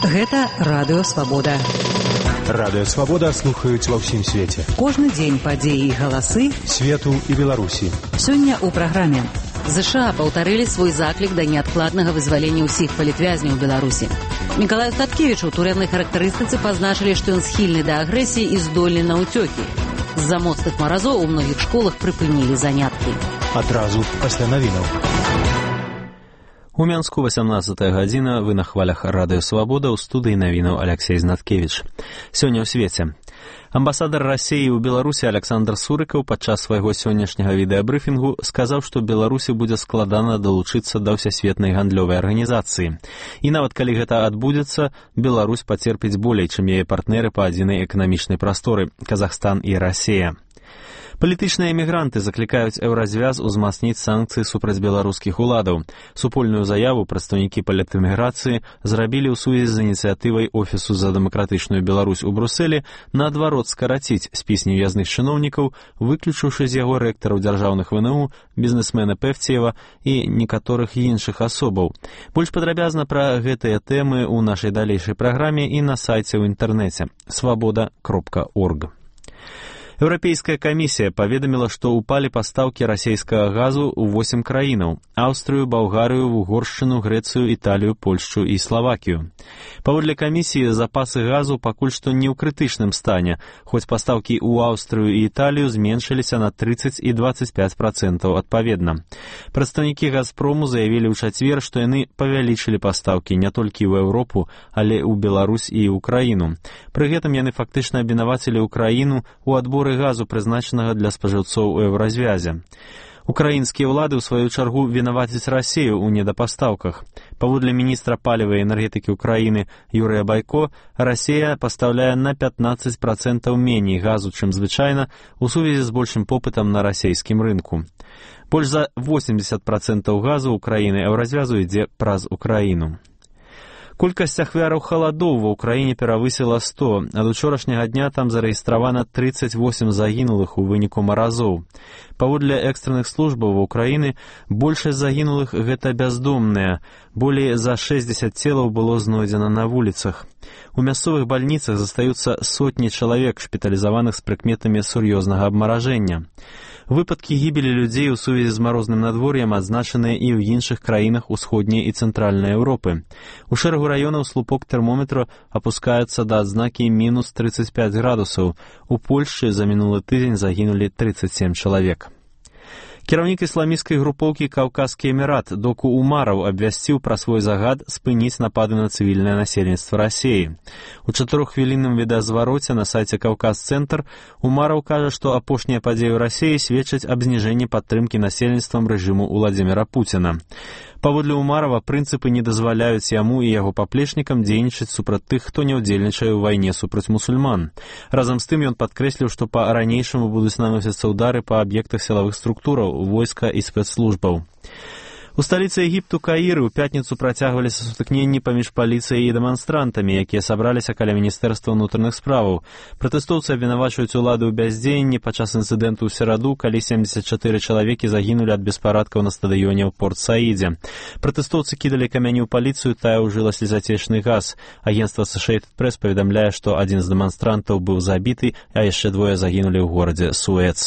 Гэта Радыё Свабода. Радыё Свабода слухаюць ва ўсім свеце. Кожны дзень падзеі і галасы свету і Беларусі. Сёння ў праграме. ЗША паўтарылі свой заклік да неадкладнага вызвалення ўсіх палітвязняў Беларусі. Мікалаю Статкевіч у турэмнай характарыстыцы пазначылі, што ён схільны да агрэсіі і здольны на ўцёкі. З-за моцных маразоў у многіх школах прыпынілі заняткі. Адразу пасля навінаў. У Мянску 18 гадзіна, вы на хвалях Радыё Свабода, ў студыі навінаў Аляксей Знаткевіч. Сёння ў свеце. Амбасадар Расіі ў Беларусі Александр Сурыкаў падчас свайго сённяшняга відэабрыфінгу сказаў, што Беларусі будзе складана далучыцца да ўсясветнай гандлёвай арганізацыі. І нават калі гэта адбудзецца, Беларусь пацерпіць болей, чым яе партнеры па адзінай эканамічнай прасторы – Казахстан і Расія. Палітычныя эмігранты заклікаюць Еўразвяз узмацніць санкцыі супраць беларускіх уладаў. Супольную заяву прадстаўнікі палітэміграцыі зрабілі ў сувязі з ініцыятывай Офісу за дэмакратычную Беларусь у Брусэлі наадварот скараціць спіс невязных чыноўнікаў, выключыўшы з яго рэктараў дзяржаўных ВНУ, бізнесмена Пэвцеева і некаторых іншых асобаў. Больш падрабязна пра гэтыя тэмы ў нашай далейшай праграме і на сайце ў інтэрнэце свабода.орг. Еўрапейская камісія паведаміла, што ўпалі пастаўкі расійскага газу ў 8 краінаў – Аўстрыю, Балгарыю, Угоршчыну, Грэцыю, Італію, Польшчу і Славакію. Паводле камісіі, запасы газу пакуль што не ў крытычным стане, хоць пастаўкі ў Аўстрыю і Італію зменшыліся на 30 і 25% адпаведна. Прадстаўнікі Газпрому заявілі ў чацвер, што яны павялічылі пастаўкі не толькі ў Еўропу, але ў Беларусь і ўкраіну. Пры гэтым яны фактычна абвінавацілі ўкраіну ў адборы газу, прызначанага для спажыўцоў у Еўразвязе. Украінскія ўлады, ў сваю чаргу, вінавацяць Расію ў недапастаўках. Паводле міністра паліва і энергетыкі ўкраіны Юрыя Байко, Расія пастаўляе на 15% меней газу, чым звычайна, у сувязі з большым попытам на расійскім рынку. Больш за 80% газу ўкраіны Еўразвязу ідзе праз Украіну. Колькасць ахвяраў халадоў ва ўкраіне перавысіла 100. Ад учорашняга дня там зарэгістравана 38 загінулых у выніку маразоў. Паводле экстранных службаў ва ўкраіны большасць загінулых гэта бяздомныя. Болей за 60 целаў было знойдзена на вуліцах. У мясцовых бальніцах застаюцца сотні чалавек, шпіталізаваных з прыкметамі сур'ёзнага абмаражэння. Выпадкі гібелі людзей у сувязі з марозным надвор'ем адзначаныя і ў іншых краінах усходняй і цэнтральнай Еўропы. У шэрагу раёнаў слупок тэрмометра апускаецца да адзнакі мінус 35 градусаў. У Польшчы за мінулы тыдзень загінулі 37 чалавек. Кіраўнік ісламісцкай групоўкі «Каўказскі эмірат» Доку Умараў абвясціў пра свой загад спыніць напады на цывільнае насельніцтва Расіі. У 4-хвілінным відэазвароце на сайце «Каўказ-цэнтр» Умараў кажа, што апошнія падзеі ў Расіі сведчаць аб зніжэнні падтрымкі насельніцтвам рэжыму Уладзіміра Пуціна. Паводле Умарава, прынцыпы не дазваляюць яму і яго паплечнікам дзейнічаць супраць тых, хто не ўдзельнічае ў вайне супраць мусульман. Разам з тым ён падкрэсліў, што па-ранейшаму будуць наносіцца ўдары па аб'ектах сілавых структураў, войска і спецслужбаў. У сталіцы Егіпту Каіры ў пятніцу працягваліся сутыкненні паміж паліцыяй і дэманстрантамі, якія сабраліся каля міністэрства ўнутраных справаў. Пратэстоўцы абвінавачваюць улады ў бяздзеянні падчас інцыдэнту ў сераду, калі 74 чалавекі загінулі ад беспарадкаў на стадыёне ў Порт-Саідзе. Пратэстоўцы кідалі камяні ў паліцыю, тая ўжыла слезацечны газ. Агенцтва Associated Press паведамляе, што адзін з дэманстрантаў быў забіты, а яшчэ двое загінулі ў горадзе Суэц.